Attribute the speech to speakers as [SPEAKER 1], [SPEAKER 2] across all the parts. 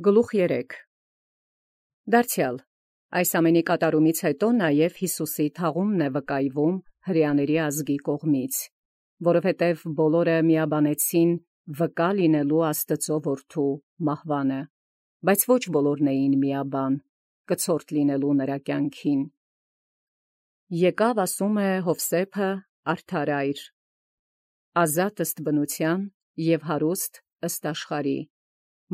[SPEAKER 1] Գլուխ 3 Դարձյալ այս ամենի կատարումից հետո նաև Յիսուսի թաղումն է վկայվում հրեաների ազգի կողմից, որովհետև բոլորը միաբանեցին վկա լինելու Աստծո որդու մահվանը, բայց ոչ բոլորն էին միաբան, կցորդ լինելու նրա կյանքին։ Եկավ ասում է Հովսեփը արդար այր, ազատ ըստ բնության և հարուստ ըստ աշխարհի,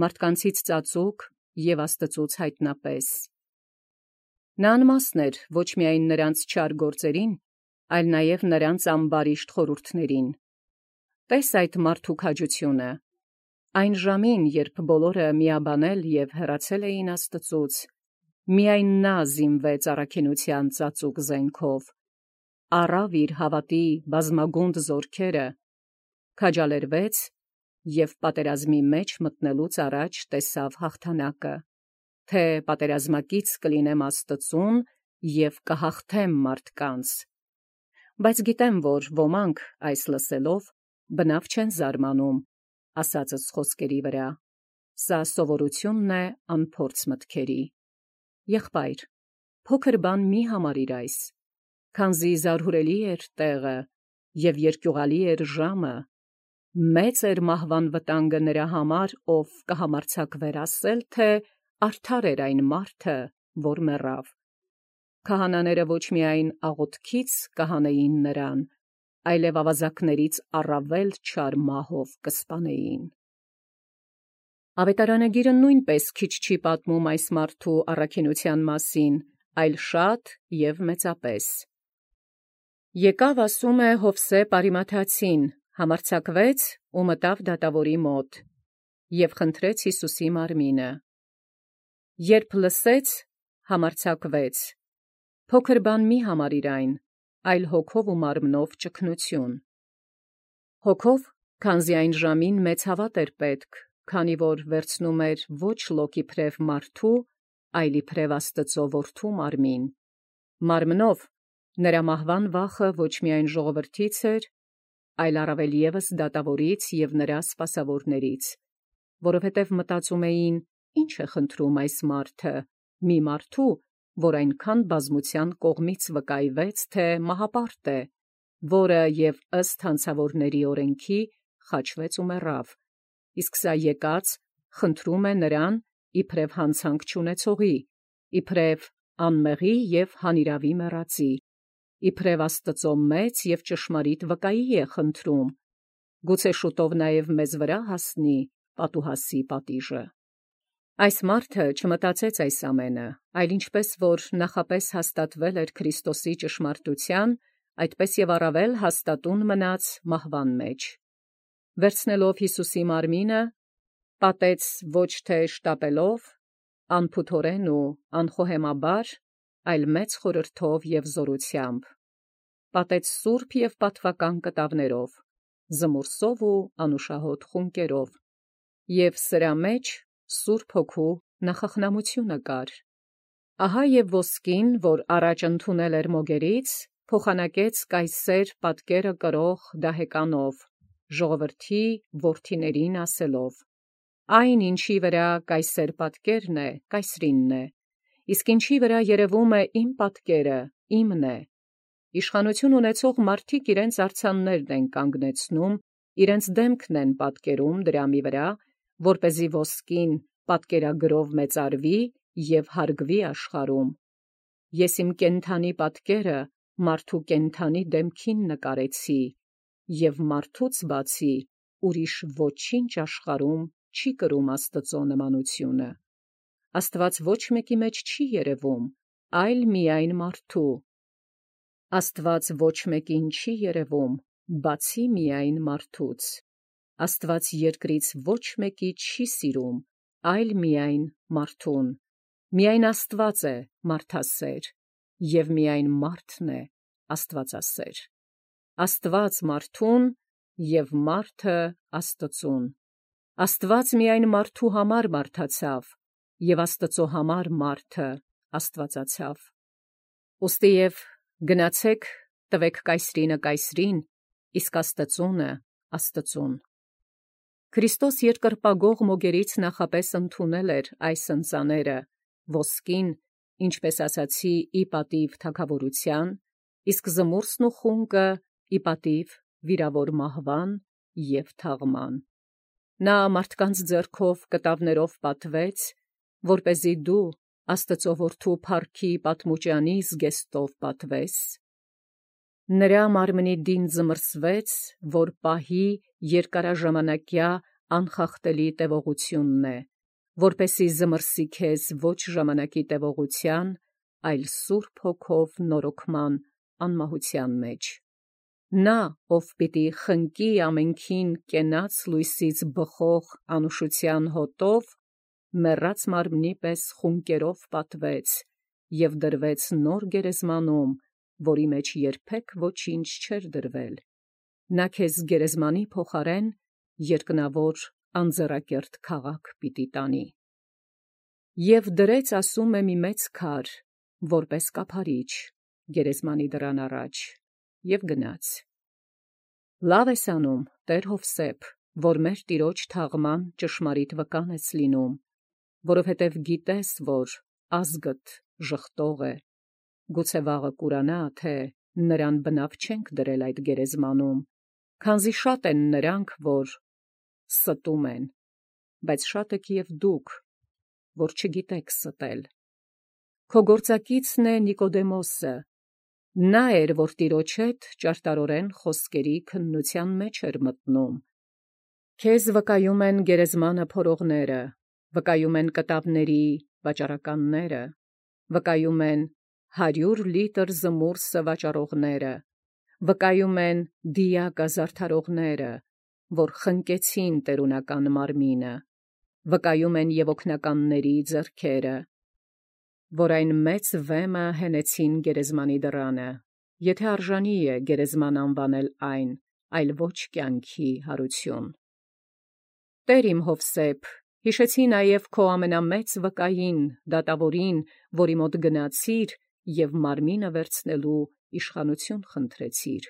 [SPEAKER 1] մարդկանցից ծածուկ և Աստծուց հայտնապես։ Նա անմասն էր ոչ միայն նրանց չար գործերին, այլ նաև նրանց ամբարիշտ խորհուրդներին։ Տես այդ մարդու քաջությունը։ Այն ժամին, երբ բոլորը միաբանել և հեռացել էին Աստծուց, միայն նա զինվեց առաքինության ծածուկ զենքով, առավ իր հավատի բազմագունդ զորքերը, քաջալերվեց և պատերազմի մեջ մտնելուց առաջ տեսավ հաղթանակը, թե պատերազմակից կլինեմ Աստծուն և կհաղթեմ մարդկանց։ Բայց գիտեմ, որ ոմանք այս լսելով բնավ չեն զարմանում ասածս խոսքերի վրա, սա սովորությունն է անփորձ մտքերի։ Եղբայր, փոքր բան մի համարիր այս, քանզի զարհուրելի էր տեղը և երկյուղալի էր ժամը, մեծ էր մահվան վտանգը նրա համար, ով կհամարձակվեր ասել, թե արդար էր այն մարդը, որ մեռավ։ Քահանաները ոչ միայն աղոթքից կհանեին նրան, այլև ավազակներից առավել չար մահով կսպանեին։ Ավետարանագիրը նույնպես քիչ չի պատմում այս մարդու առաքինության մասին, այլ շատ և մեծապես։ Եկավ ասում է Հովսեփ Արիմաթացին, համարձակվեց ու մտավ դատավորի մոտ և խնդրեց Յիսուսի մարմինը։ Երբ լսեց, համարձակվեց, փոքր բան մի համարիր այն, այլ հոգով ու մարմնով ճգնություն։ Հոգով, քանզի այն ժամին մեծ հավատ էր պետք, քանի որ վերցնում էր ոչ լոկ իբրև մարդու, այլ իբրև Աստծո որդու մարմին։ Մարմնով, նրա մահվան վախը ոչ միայն ժողովրդից էր, այլ առավել ևս դատավորից և նրա սպասավորներից, որովհետև մտածում էին, ինչ է խնդրում այս մարդը, մի մարդու, որ այնքան բազմության կողմից վկայվեց, թե մահապարտ է, որը և ըստ հանցավորների օրենքի խաչվեց ու մեռավ, իսկ սա եկած խնդրում է նրան իբրև հանցանք չունեցողի, իբրև անմեղի և հանիրավի մեռածի, իբրև Աստծո մեծ և ճշմարիտ վկայի է խնդրում, գուցե շուտով նաև մեզ վրա հասնի պատուհասի պատիժը։ Այս մարդը չմտածեց այս ամենը, այլ ինչպես որ նախապես հաստատվել էր Քրիստոսի ճշմարտության, այդպես և առավել հաստատուն մնաց մահվան մեջ։ Վերցնելով Յիսուսի մարմինը, պատեց ոչ թե շտապելով, անփութորեն ու անխոհեմաբար, այլ մեծ խորհրդով և զորությամբ, պատեց սուրբ և պատվական կտավներով, զմուրսով ու անուշահոտ խունկերով, և սրա մեջ Սուրբ Հոգու նախախնամությունը կար։ Ահա և ոսկին, որ առաջ ընդունել էր մոգերից, փոխանակեց կայսեր պատկերը կրող դահեկանով, ժողովրդի որդիներին ասելով. «Այն, ինչի վրա կայսեր պատկերն է, կայսրինն է, իսկ ինչի վրա երևում է իմ պատկերը, իմն է։ Իշխանություն ունեցող մարդիկ իրենց արձաններն են կանգնեցնում, իրենց դեմքն են պատկերում դրամի վրա, որպեսզի ոսկին պատկերագրով մեծարվի և հարգվի աշխարհում։ Ես իմ կենդանի պատկերը մարդու կենդանի դեմքին նկարեցի, և մարդուց բացի ուրիշ ոչինչ աշխարհում չի կրում Աստծո նմանությունը։ Աստված ոչ մեկի մեջ չի երևում, այլ միայն մարդու։ Աստված ոչ մեկին չի երևում, բացի միայն մարդուց։ Աստված երկրից ոչ մեկի չի սիրում, այլ միայն մարդուն։ Միայն Աստված է մարդասեր, և միայն մարդն է աստվածասեր։ Աստված մարդուն և մարդը Աստծուն։ Աստված միայն մարդու համար մարդացավ, և Աստծո համար մարդը աստվածացավ։ Ուստի և գնացեք, տվեք կայսրինը կայսրին, իսկ Աստծունը Աստծուն։ Քրիստոս երկրպագող մոգերից նախապես ընդունել էր այս ընծաները, ոսկին, ինչպես ասացի, ի պատիվ թագավորության, իսկ զմուրսն ու խունկը ի պատիվ վիրավոր մահվան և թաղման։ Նա մարդկանց ձեռքով կտավներով պատվեց, որպեսզի դու Աստծո որդու փառքի պատմուճանի զգեստով պատվես։ Նրա մարմնի դին զմրսվեց, որ պահի երկարաժամանակյա անխախտելի տևողությունն է, որպեսզի զմրսի քեզ ոչ ժամանակի տևողության, այլ Սուրբ Հոգով նորոգման անմահության մեջ։ Նա, ով պիտի խնկի ամենքին կենաց լույսից բխող անուշության հոտով, մեռած մարմնի պես խունկերով պատվեց և դրվեց նոր գերեզմանում, որի մեջ երբեք ոչինչ չէր դրվել։ Նա քեզ գերեզմանի փոխարեն երկնավոր անձեռակերտ քաղաք պիտի տանի։ Եվ դրեց, ասում է, մի մեծ քար, որպես կափարիչ, գերեզմանի դռան առաջ, և գնաց։ Լավ ես անում, Տեր Հովսեփ, որ մեր Տիրոջ թաղման ճշմարիտ վկան ես լինում, որովհետև գիտես, որ ազգդ ժխտող է, գուցե վաղը կուրանա, թե նրան բնավ չենք դրել այդ գերեզմանում, քանզի շատ են նրանք, որ ստում են, բայց շատ եք և դուք, որ չգիտեք ստել։ Քո գործակիցն է Նիկոդեմոսը, նա էր, որ Տիրոջ հետ ճարտարորեն խոսքերի քննության մեջ էր մտնում։ Քեզ վկայում են գերեզմանը փորողները, վկայում են կտավների վաճառականները, վկայում են 100 լիտր զմուրսը վաճառողները, վկայում են դիակը զարդարողները, որ խնկեցին տերունական մարմինը, վկայում են և օգնականների ձեռքերը, որ այն մեծ վեմը հենեցին գերեզմանի դռանը, եթե արժանի է գերեզման անվանել այն, այլ ոչ կյանքի հարություն։ Տեր իմ Հովսեփ, հիշեցի նաև քո ամենամեծ վկային, դատավորին, որի մոտ գնացիր և մարմինը վերցնելու իշխանություն խնդրեցիր։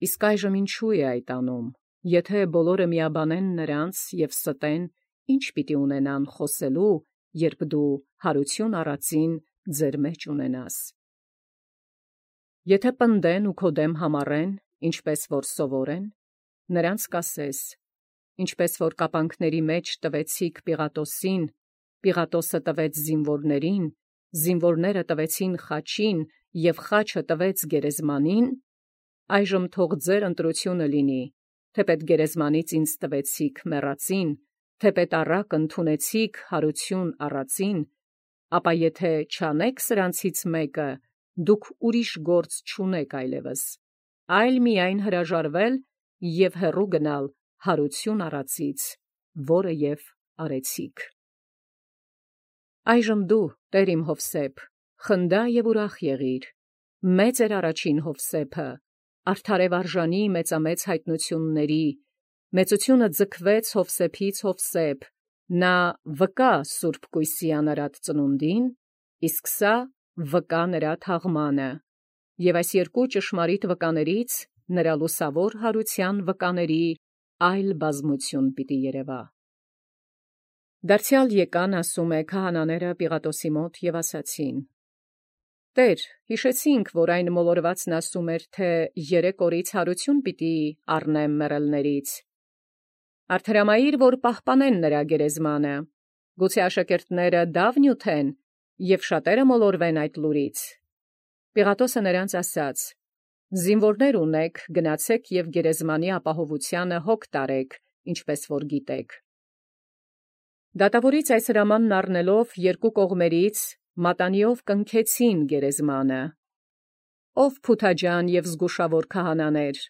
[SPEAKER 1] Իսկ այժմ ինչու է այդ անում, եթե բոլորը միաբանեն նրանց և ստեն, ինչ պիտի ունենան խոսելու, երբ դու հարություն առածին ձեր մեջ ունենաս։ Եթե պնդեն ու քո դեմ համառեն, ինչպես որ սովոր են, նրանց կասես, ինչպես որ կապանքների մեջ տվեցիք Պիղատոսին, Պիղատոսը տվեց զինվորներին, զինվորները տվեցին խաչին և խաչը տվեց գերեզմանին, այժմ թող ձեր ընտրությունը լինի, թեպետ գերեզմանից ինձ տվեցիք մեռածին, թեպետ առակ ընդունեցիք հարություն առածին, ապա եթե չանեք սրանցից մեկը, դուք ուրիշ գործ չունեք այլևս, այլ միայն հրաժարվել և հեռու գնալ հարություն առածից, որը և արեցիք։ Այժմ դու, Տեր իմ Հովսեփ, խնդա և ուրախ եղիր, մեծ էր առաջին Հովսեփը, արդար և արժանի մեծամեծ հայտնությունների, մեծությունը ձգվեց Հովսեփից Հովսեփ, նա վկա սուրբ կույսի անարատ ծնունդին, իսկ սա վկա նրա թաղմանը, և այս երկու ճշմարիտ վկաներից նրա լուսավոր հարության վկաների այլ բազմություն պիտի երևա։ Դարձյալ եկան, ասում է, քահանաները Պիղատոսի մոտ և ասացին. Տեր, հիշեցինք, որ այն մոլորվածն ասում էր, թե 3 օրից հարություն պիտի առնեմ մեռելներից։ Արդարամայիր, որ պահպանեն նրա գերեզմանը, գուցե աշակերտները դավ նյութեն և շատերը մոլորվեն այդ լուրից։ Պիղատոսը նրանց ասաց. զինվորներ ունեք, գնացեք և գերեզմանի ապահովությանը հոգ տարեք, ինչպես որ գիտեք։ Դատավորից այս հրամանն առնելով երկու կողմերից մատանիով կնքեցին գերեզմանը։ Ով փութաջան և զգուշավոր քահանաներ,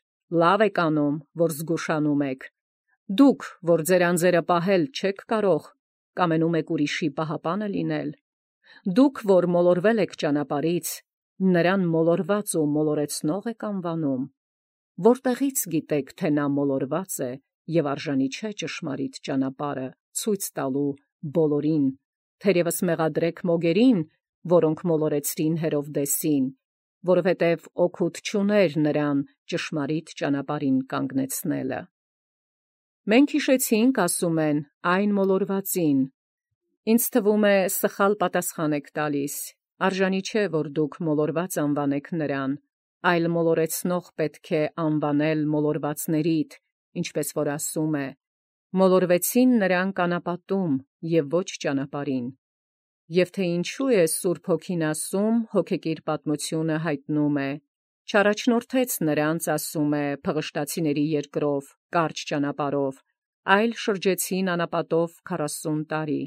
[SPEAKER 1] լավ եք անում, որ զգուշանում եք։ Դուք, որ ձեր անձերը պահել չեք կարող, կամենում եք ուրիշի պահապանը լինել։ Դուք, որ մոլորվել եք ճանապարհից, նրան մոլորված ու մոլորեցնող եք անվանում։ Որտեղից գիտեք, թե նա մոլորված է և արժանի չէ ճշմարիտ ճանապարհը ցույց տալու բոլորին, թերևս մեղադրեք մոգերին, որոնք մոլորեցրին Հերովդեսին, որովհետև օգուտ չուներ նրան ճշմարիտ ճանապարհին կանգնեցնելը։ Մենք հիշեցինք, ասում են, այն մոլորվածին։ Ինձ թվում է սխալ պատասխան եք տալիս. արժանի չէ, որ դուք մոլորված անվանեք նրան, այլ մոլորեցնող պետք է անվանել մոլորվածներիդ, ինչպես որ ասում է. մոլորվեցին նրանք անապատում և ոչ ճանապարհին։ Եվ թե ինչու է Սուրբ Հոգին ասում, հոգեկիր պատմությունը հայտնում է. չառաջնորդեց նրանց, ասում է, փղշտացիների երկրով, կարճ ճանապարհով, այլ շրջեցին անապատով 40 տարի,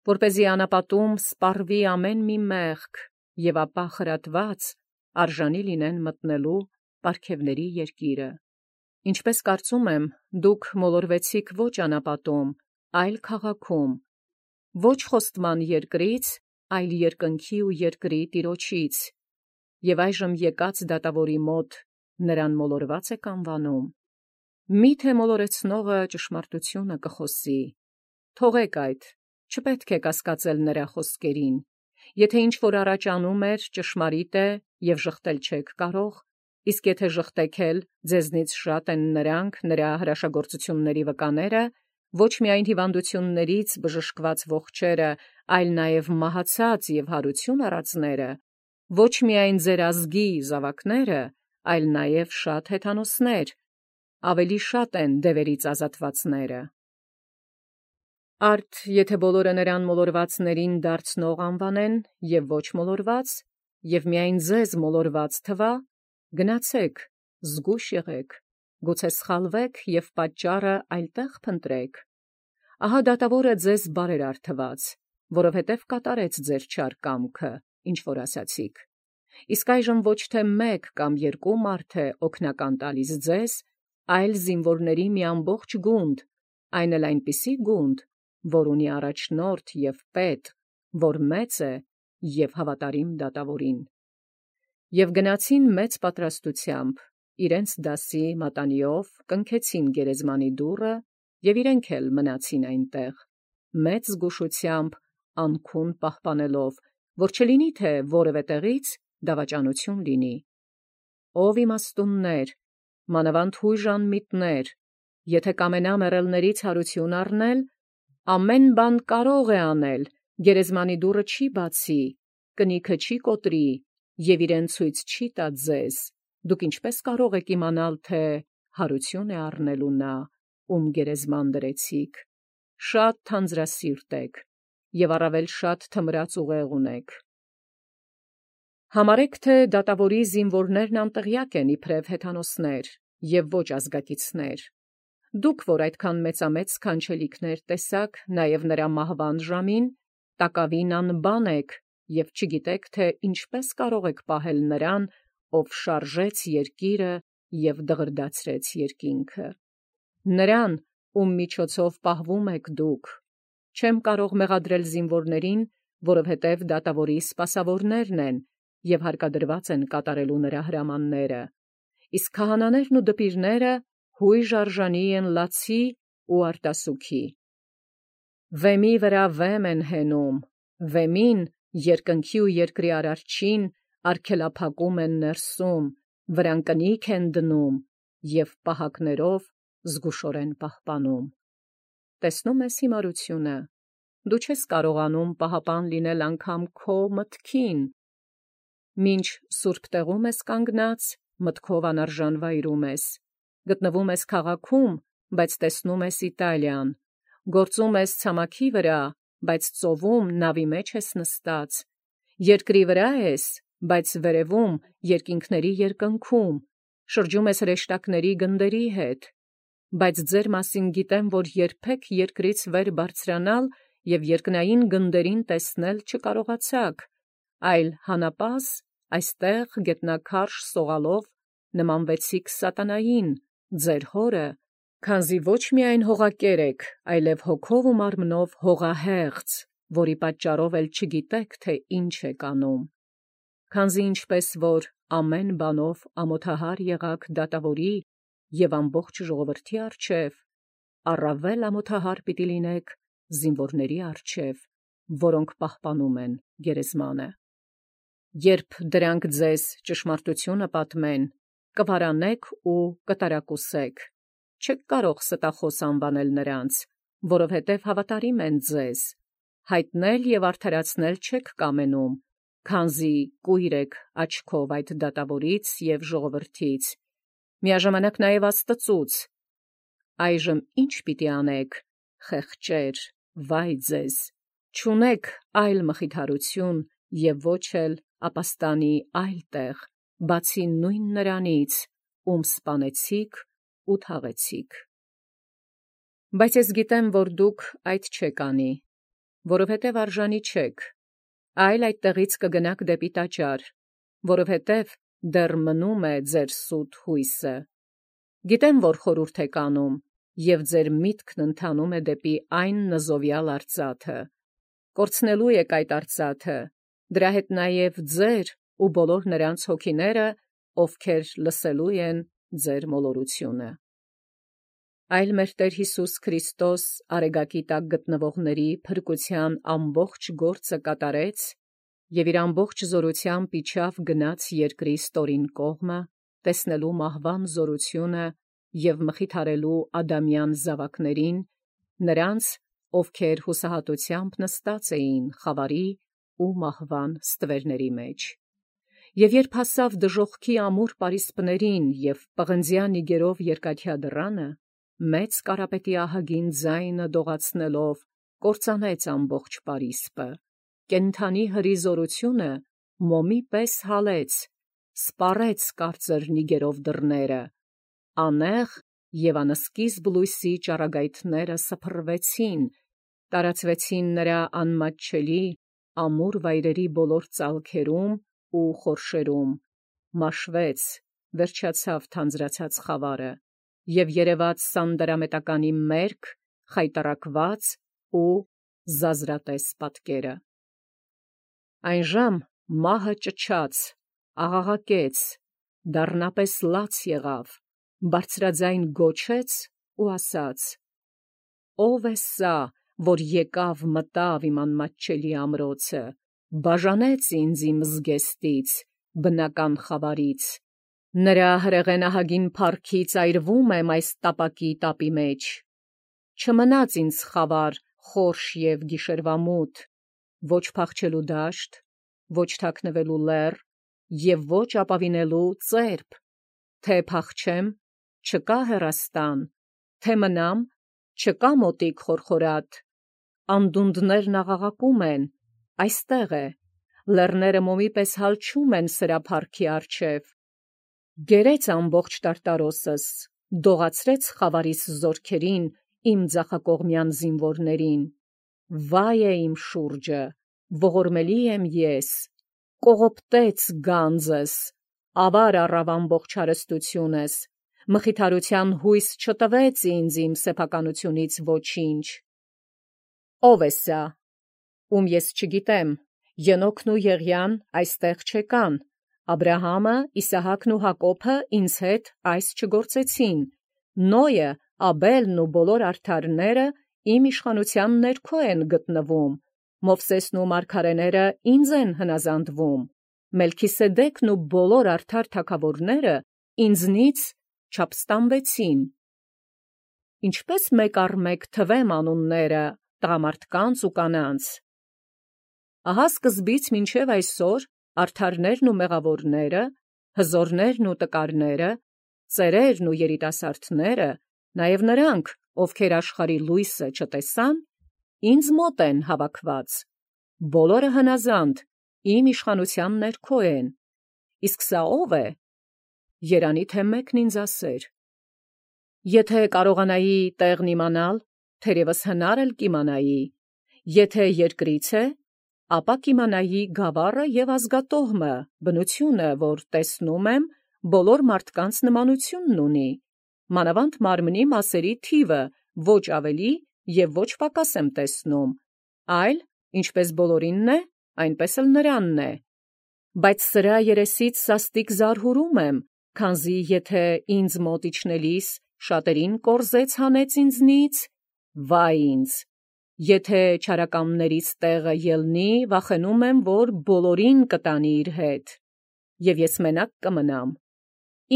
[SPEAKER 1] որպեսզի անապատում սպառվի ամեն մի մեղք, և ապա խրատված արժանի լինեն մտնելու պարգևների երկիրը։ Ինչպես կարծում եմ, դուք մոլորվեցիք ոչ անապատում, այլ քաղաքում, ոչ խոստման երկրից, այլ երկնքի ու երկրի Տիրոջից, և այժմ եկած դատավորի մոտ նրան մոլորված եք անվանում։ Մի՞թե մոլորեցնողը ճշմարտությունը կխոսի։ Թողեք այդ, չպետք է կասկածել նրա խոսքերին։ Եթե ինչ-որ առաջ անում էր, ճշմարիտ է, և ժխտել չեք կարող, իսկ եթե ժխտեք էլ, ձեզնից շատ են նրանք նրա հրաշագործությունների վկաները, ոչ միայն հիվանդություններից բժշկված ողջերը, այլ նաև մահացած և հարություն առածները, ոչ միայն ձեր ազգի զավակները, այլ նաև շատ հեթանոսներ, ավելի շատ են դևերից ազատվածները։ Արդ եթե բոլորը նրան մոլորվածներին դարձնող անվանեն և ոչ մոլորված, և միայն ձեզ մոլորված թվա, գնացեք, զգույշ եղեք, գուցե սխալվեք և պատճառը այլտեղ փնտրեք։ Ահա դատավորը ձեզ բարերար թված, որովհետև կատարեց ձեր չար կամքը, ինչ որ ասացիք։ Իսկ այժմ ոչ թե մեկ կամ երկու մարդ է օգնական տալիս ձեզ, այլ զինվորների մի ամբողջ գունդ, այն էլ այնպիսի գունդ, որ ունի առաջնորդ և պետ, որ մեծ է և հավատարիմ դատավորին։ Եվ գնացին մեծ պատրաստությամբ, իրենց դասի մատանիով կնքեցին գերեզմանի դուռը, և իրենք էլ մնացին այնտեղ, մեծ զգուշությամբ անքուն պահպանելով, որ չլինի թե որևէ տեղից դավաճանություն լինի։ Ով իմաստուններ, մանավանդ հույժ անմիտներ, եթե կամենա մեռելներից հարություն առնել, ամեն բան կարող է անել, գերեզմանի դուռը չի բացի, կնիքը չի կոտրի և իրեն ցույց չի տա ձեզ, դուք ինչպես կարող եք իմանալ, թե հարություն է առնելու նա, ում գերեզման դրեցիք։ Շատ թանձրասիրտ եք և առավել շատ թմրած ուղեղ ունեք։ Համարեք, թե դատավորի զինվորներն անտեղյակ են իբրև հեթանոսներ և ոչ ազգակիցներ։ Դուք, որ այդքան մեծամեծ սքանչելիքներ տեսաք, նաև նրա մահվան ժամին, տակավին անբան եք և չգիտեք, թե ինչպես կարող եք պահել նրան, ով շարժեց երկիրը և դղրդացրեց երկինքը։ Նրան, ում միջոցով պահվում եք դուք։ Չեմ կարող մեղադրել զինվորներին, որովհետև դատավորի սպասավորներն են և հարկադրված են կատարելու նրա հրամանները, իսկ քահանաներն ու դպիրները հույժ արժանի են լացի ու արտասուքի։ Վեմի վրա վեմ են հենում, վեմին, երկնքի ու երկրի արարչին արգելափակում են ներսում, վրան կնիկ են դնում և պահակներով զգուշորեն պահպանում։ Տեսնում ես հիմարությունը, դու չես կարողանում պահապան լինել անգամ քո մտքին, մինչ սուրբ տեղում ես կանգնած, մտքով անարժան վայրում ես, գտնվում ես քաղաքում, բայց տեսնում ես Իտալիան, գործում ես ցամաքի վրա, բայց ծովում նավի մեջ ես նստած, երկրի վրա ես, բայց վերևում երկինքների երկնքում, շրջում ես հրեշտակների գնդերի հետ, բայց ձեր մասին գիտեմ, որ երբեք երկրից վեր բարձրանալ և երկնային գնդերին տեսնել չկարողացաք, այլ հանապազս այստեղ գետնաքարշ սողալով նմանվեցիք սատանային, ձեր հորը, քանզի ոչ միայն հողակեր եք, այլև հոգով ու մարմնով հողահեղձ, որի պատճառով էլ չգիտեք, թե ինչ եք անում։ Քանզի ինչպես որ ամեն բանով ամոթահար եղաք դատավորի և ամբողջ ժողովրդի առջև, առավել ամոթահար պիտի լինեք զինվորների առջև, որոնք պահպանում են գերեզմանը։ Երբ դրանք ձեզ ճշմարտությունը պատմեն, կվարանեք ու կտարակուսեք, չեք կարող ստախոս անվանել նրանց, որովհետև հավատարիմ են ձեզ, հայտնել և արդարացնել չեք կամենում, քանզի կույր եք աչքով այդ դատավորից և ժողովրդից, միաժամանակ նաև Աստծուց. այժմ ի՞նչ պիտի անեք, խեղճեր, վայ ձեզ, չունեք այլ մխիթարություն և ոչ էլ ապաստանի այլ տեղ, բացի նույն նրանից, ում սպանեցիք ու թաղեցիք։ Բայց ես գիտեմ, որ դուք այդ չեք անի, որովհետև արժանի չեք, այլ այդտեղից կգնաք դեպի տաճար, որովհետև դեռ մնում է ձեր սուտ հույսը։ Գիտեմ, որ խորհուրդ եք անում, և ձեր միտքն ընթանում է դեպի այն նզովյալ արծաթը։ Կորցնելու եք այդ արծաթը, դրա հետ նաև ձեր ու բոլոր նրանց հոգիները, ովքեր լսելու են ձեր մոլորությունը։ Այլ մեր Տեր Հիսուս Քրիստոս արեգակի տակ գտնվողների փրկության ամբողջ գործը կատարեց և իր ամբողջ զորությամբ իջավ գնաց երկրի ստորին կողմը, տեսնելու մահվան զորությունը և մխիթարելու ադամյան զավակներին, նրանց, ովքեր հուսահատությամբ նստած էին խավարի ու մահվան ստվերների մեջ։ Եվ երբ հասավ դժոխքի ամուր պարիսպներին և պղնձյան իգերով երկաթյա դռանը, մեծ կարապետի ահագին ձայնը դողացնելով կործանեց ամբողջ պարիսպը, կենդանի հրի մոմի պես հալեց, սպառեց կարծր նիգերով դռները, անեղ և անսկիզբ լույսի ճառագայթները սփռվեցին, տարածվեցին նրա անմատչելի ամուր վայրերի բոլոր ծալքերում ու խորշերում, մաշվեց, վերջացավ թանձրացած խավարը և երևաց սանդարամետականի մերկ, խայտառակված ու զազրատես պատկերը։ Այնժամ մահը ճչաց, աղաղակեց, դառնապես լաց եղավ, բարձրաձայն գոչեց ու ասաց. «Ո՞վ է սա, որ եկավ մտավ իմ անմատչելի ամրոցը, բաժանեց ինձ իմ զգեստից, բնական խավարից, նրա հրեղեն ահագին փառքից այրվում եմ այս տապակի տապի մեջ, չմնաց ինձ խավար, խորշ և գիշերվամութ, ոչ փախչելու դաշտ, ոչ թաքնվելու լեռ և ոչ ապավինելու ծերբ, թե փախչեմ, չկա հեռաստան, թե մնամ, չկա մոտիկ խորխորատ, անդունդներն աղաղակում են, այստեղ է, լեռները մոմի պես հալչում են սրա փառքի առջև, գերեց ամբողջ տարտարոսս, դողացրեց խավարիս զորքերին, իմ ձախակողմյան զինվորներին, վայ է իմ շուրջը, ողորմելի եմ ես, կողոպտեց գանձս, ավար առավ ամբողջ հարստությունս, մխիթարության հույս չտվեց ինձ իմ սեփականությունից ոչինչ։ Ո՞վ է սա, ում ես չգիտեմ, Ենոքն ու Եղիան այստեղ չեկան, Աբրահամը, Իսահակն ու Հակոբը ինձ հետ այս չգործեցին, Նոյը, Աբելն ու բոլոր արդարները իմ իշխանության ներքո են գտնվում, Մովսեսն ու մարգարեները ինձ են հնազանդվում, Մելքիսեդեքն ու բոլոր արդար թագավորները ինձնից չափստամվեցին։ Ինչպե՞ս մեկ առ մեկ թվեմ անունները տղամարդկանց ու կանանց։ Ահա սկզբից մինչև այսօր արդարներն ու մեղավորները, հզորներն ու տկարները, ծերերն ու երիտասարդները, նաև նրանք, ովքեր աշխարհի լույսը չտեսան, ինձ մոտ են հավաքված, բոլորը հնազանդ, իմ իշխանության ներքո են, իսկ սա ո՞վ է, երանի թե մեկն ինձ ասեր։ Եթե կարողանայի տեղն իմանալ, թերևս հնար էլ կիմանայի, եթե երկրից է, ապա կիմանայի գավառը և ազգատոհմը, բնությունը, որ տեսնում եմ, բոլոր մարդկանց նմանությունն ունի, մանավանդ մարմնի մասերի թիվը, ոչ ավելի և ոչ պակաս եմ տեսնում, այլ, ինչպես բոլորինն է, այնպես էլ նրանն է, բայց սրա երեսից սաստիկ զարհուրում եմ, քանզի եթե ինձ մոտ իջնելիս շատերին կորզեց հանեց ինձնից, վայ ինձ, եթե չարակամներից տեղը ելնի, վախենում եմ, որ բոլորին կտանի իր հետ, և ես մենակ կմնամ,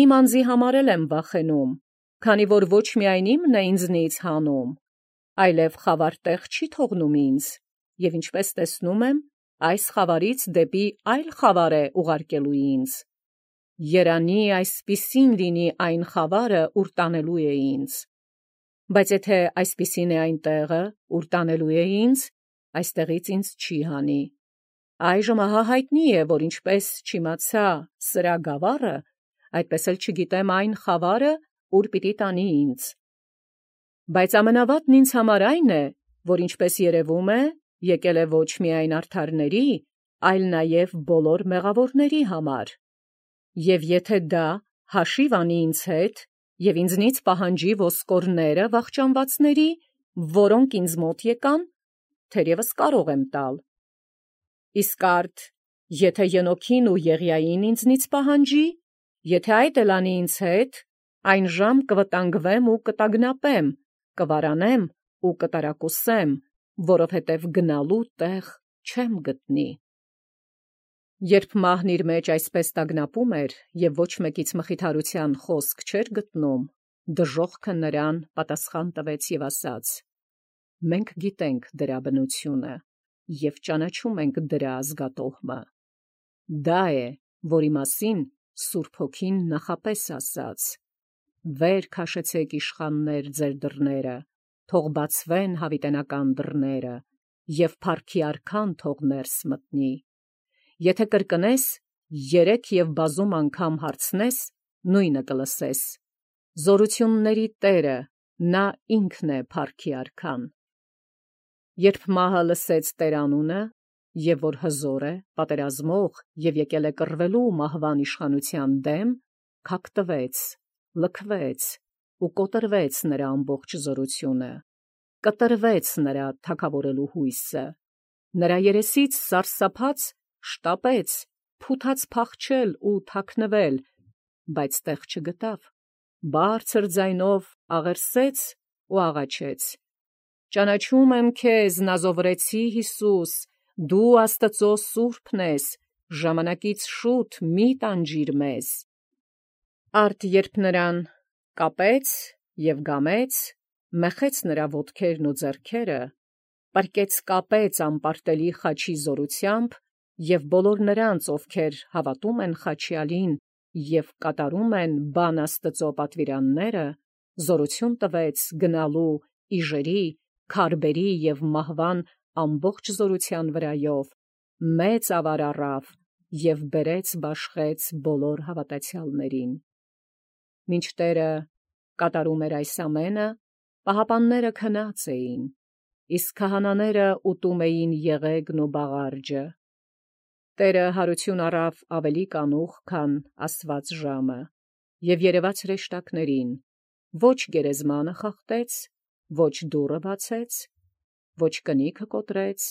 [SPEAKER 1] իմ անձի համար էլ եմ վախենում, քանի որ ոչ միայն իմն է ինձնից հանում, այլև խավար տեղ չի թողնում ինձ, եւ ինչպես տեսնում եմ, այս խավարից դեպի այլ խավար է ուղարկելու ինձ։ Երանի այսպիսին լինի այն խավարը, ուր տանելու է ինձ։ Բայց եթե այսպիսին է այն տեղը, ուր տանելու է ինձ, այստեղից ինձ չի հանի։ Այժմ ահա հայտնի է, որ ինչպես չիմացա սրա գավառը, այդպես էլ չգիտեմ այն խավարը, ուր պիտի տանի ինձ։ Բայց ամենավատն ինձ համար այն է, որ ինչպես երևում է, եկել է ոչ միայն արդարների, այլ նաև բոլոր մեղավորների համար։ Եվ եթե դա հաշիվ անի ինձ հետ, և ինձնից պահանջի ոսկորները վախճանվածների, որոնք ինձ մոտ եկան, թերևս կարող եմ տալ։ Իսկ արդ, եթե Ենոքին ու Եղիային ինձնից պահանջի, եթե այդ էլ անի ինձ հետ, այն ժամ կվտանգվեմ ու կտագնապեմ, կվարանեմ ու կտարակուսեմ, որովհետև գնալու տեղ չեմ գտնի։ Երբ մահն իր մեջ այսպես տագնապում էր և ոչ մեկից մխիթարության խոսք չէր գտնում, դժոխքը նրան պատասխան տվեց և ասաց. «Մենք գիտենք դրա բնությունը և ճանաչում ենք դրա ազգատոհմը։ Դա է, որի մասին Սուրբ Հոգին նախապես ասաց. «Վեր քաշեցեք իշխաններ ձեր դռները, թող բացվեն հավիտենական դռները, և փառքի արքան թող ներս մտնի։ Եթե կրկնես, 3 և բազում անգամ հարցնես, նույնը կլսես. զորությունների Տերը, նա ինքն է փառքի արքան»։ Երբ մահը լսեց Տեր անունը, և որ հզոր է, պատերազմող և եկել է կռվելու մահվան իշխանության դեմ, քակտվեց, լքվեց ու կոտրվեց նրա ամբողջ զորությունը, կտրվեց նրա թագավորելու հույսը, նրա երեսից սարսափած շտապեց, փութաց փախչել ու թաքնվել, բայց տեղ չգտավ, բարձր ձայնով աղերսեց ու աղաչեց. «Ճանաչում եմ քեզ, Նազովրեցի Հիսուս, դու Աստծո Սուրբն ես, ժամանակից շուտ մի՛ տանջիր մեզ»։ Արդ երբ նրան կապեց և գամեց, մեխեց նրա ոտքերն ու ձեռքերը, պառկեց կապեց անպարտելի խաչի զորությամբ, և բոլոր նրանց, ովքեր հավատում են խաչյալին և կատարում են բան Աստծո պատվիրանները, զորություն տվեց գնալու իժերի, քարբերի և մահվան ամբողջ զորության վրայով, մեծ ավար առավ և բերեց բաշխեց բոլոր հավատացյալներին։ Մինչ Տերը կատարում էր այս ամենը, պահապանները քնած էին, իսկ քահանաները ուտում էին եղեգն ու բաղարջը։ Տերը հարություն առավ ավելի կանուխ, քան ասված ժամը, և երևաց հրեշտակներին, ոչ գերեզմանը խախտեց, ոչ դուռը բացեց, ոչ կնիքը կոտրեց,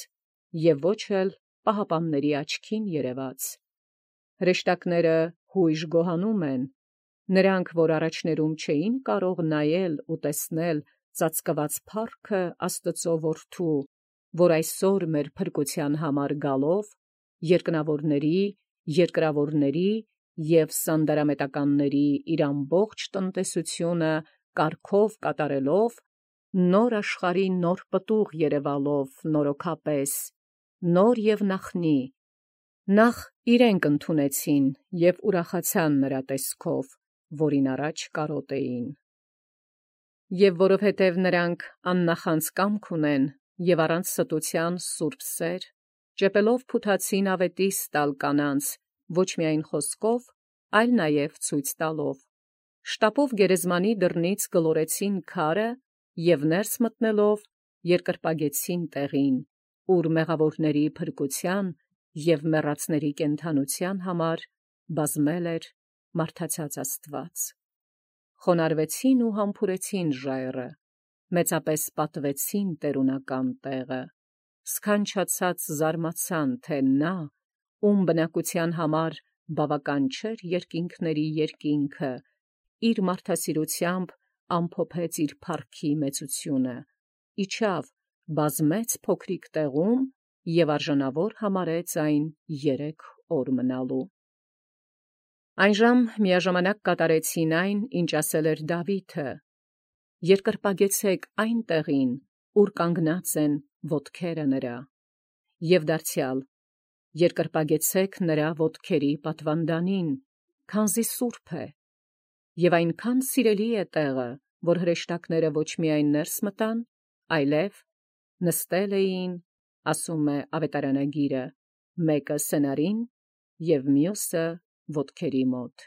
[SPEAKER 1] և ոչ էլ պահապանների աչքին երևաց։ Հրեշտակները հույժ գոհանում են, նրանք, որ առաջներում չէին կարող նայել ու տեսնել ծածկված փառքը Աստծո որդու, որ այսօր մեր փրկության համար գալով, երկնավորների, երկրավորների և սանդարամետականների իր ամբողջ տնտեսությունը կարգով կատարելով, նոր աշխարհի նոր պտուղ երևալով նորոգապես, նոր և նախնի, նախ իրենք ընդունեցին և ուրախացան նրա տեսքով, որին առաջ կարոտ էին։ Եվ որովհետև նրանք աննախանձ կամք ունեն և առանց ստության սուրբ սեր, ճեպելով փութացին ավետիս տալ կանանց, ոչ միայն խոսքով, այլ նաև ցույց տալով, շտապով գերեզմանի դռնից գլորեցին քարը և ներս մտնելով երկրպագեցին տեղին, ուր մեղավորների փրկության և մեռածների կենդանության համար բազմել էր մարդացած Աստված։ Խոնարհվեցին ու համբուրեցին ժայռը, մեծապես պատվեցին տերունական տեղը, սքանչացած զարմացան, թե նա, ում բնակության համար բավական չէր երկինքների երկինքը, իր մարդասիրությամբ ամփոփեց իր փառքի մեծությունը, իջավ, բազմեց փոքրիկ տեղում և արժանավոր համարեց այն 3 օր մնալու։ Այնժամ միաժամանակ կատարեցին այն, ինչ ասել էր Դավիթը. «Երկրպագեցեք այն տեղին, ուր կանգնած են ոտքերը նրա, և դարձյալ երկրպագեցեք նրա ոտքերի պատվանդանին, քանզի սուրբ է, և այնքան սիրելի է տեղը, որ հրեշտակները ոչ միայն ներս մտան, այլև նստել էին, ասում է ավետարանագիրը, մեկը սենարին և մյուսը ոտքերի մոտ։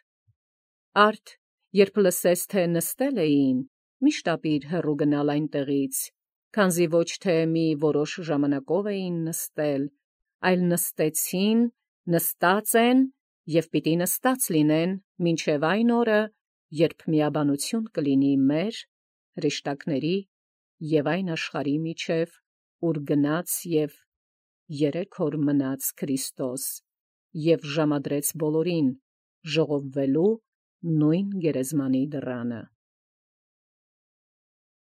[SPEAKER 1] Արդ, երբ լսես, թե նստել էին, մի շտապիր հեռու գնալ այնտեղից, քանզի ոչ թե մի որոշ ժամանակով էին նստել, այլ նստեցին, նստած են և պիտի նստած լինեն մինչև այն օրը, երբ միաբանություն կլինի մեր, հրեշտակների և այն աշխարհի միջև, ուր գնաց և 3 օր մնաց Քրիստոս և ժամադրեց բոլորին ժողովվելու նույն գերեզմանի դռանը»։